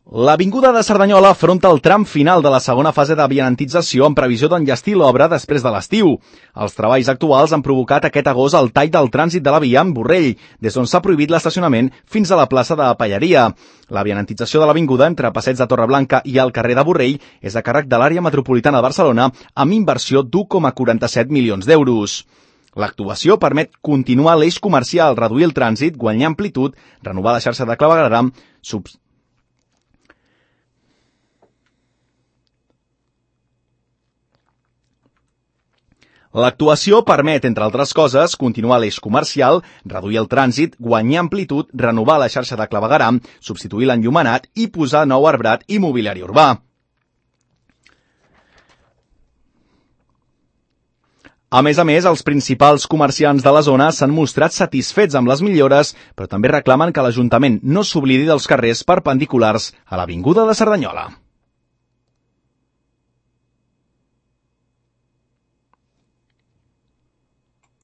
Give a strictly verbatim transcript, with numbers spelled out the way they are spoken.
L'avinguda de Cerdanyola afronta el tram final de la segona fase de vianantització amb previsió d'enllestir l'obra després de l'estiu. Els treballs actuals han provocat aquest agost el tall del trànsit de la via amb Borrell, des d'on s'ha prohibit l'estacionament fins a la plaça de Pallaria. La vianantització de l'avinguda entre Passeig de Torreblanca i el carrer de Borrell és a càrrec de l'àrea metropolitana de Barcelona amb inversió d'u coma quaranta-set milions d'euros. L'actuació permet continuar l'eix comercial, reduir el trànsit, guanyar amplitud, renovar la xarxa de clavegueram, subs... L'actuació permet, entre altres coses, continuar l'eix comercial, reduir el trànsit, guanyar amplitud, renovar la xarxa de clavegueram, substituir l'enllumenat i posar nou arbrat i mobiliari urbà. A més a més, els principals comerciants de la zona s'han mostrat satisfets amb les millores, però també reclamen que l'Ajuntament no s'oblidi dels carrers perpendiculars a l'avinguda de Cerdanyola.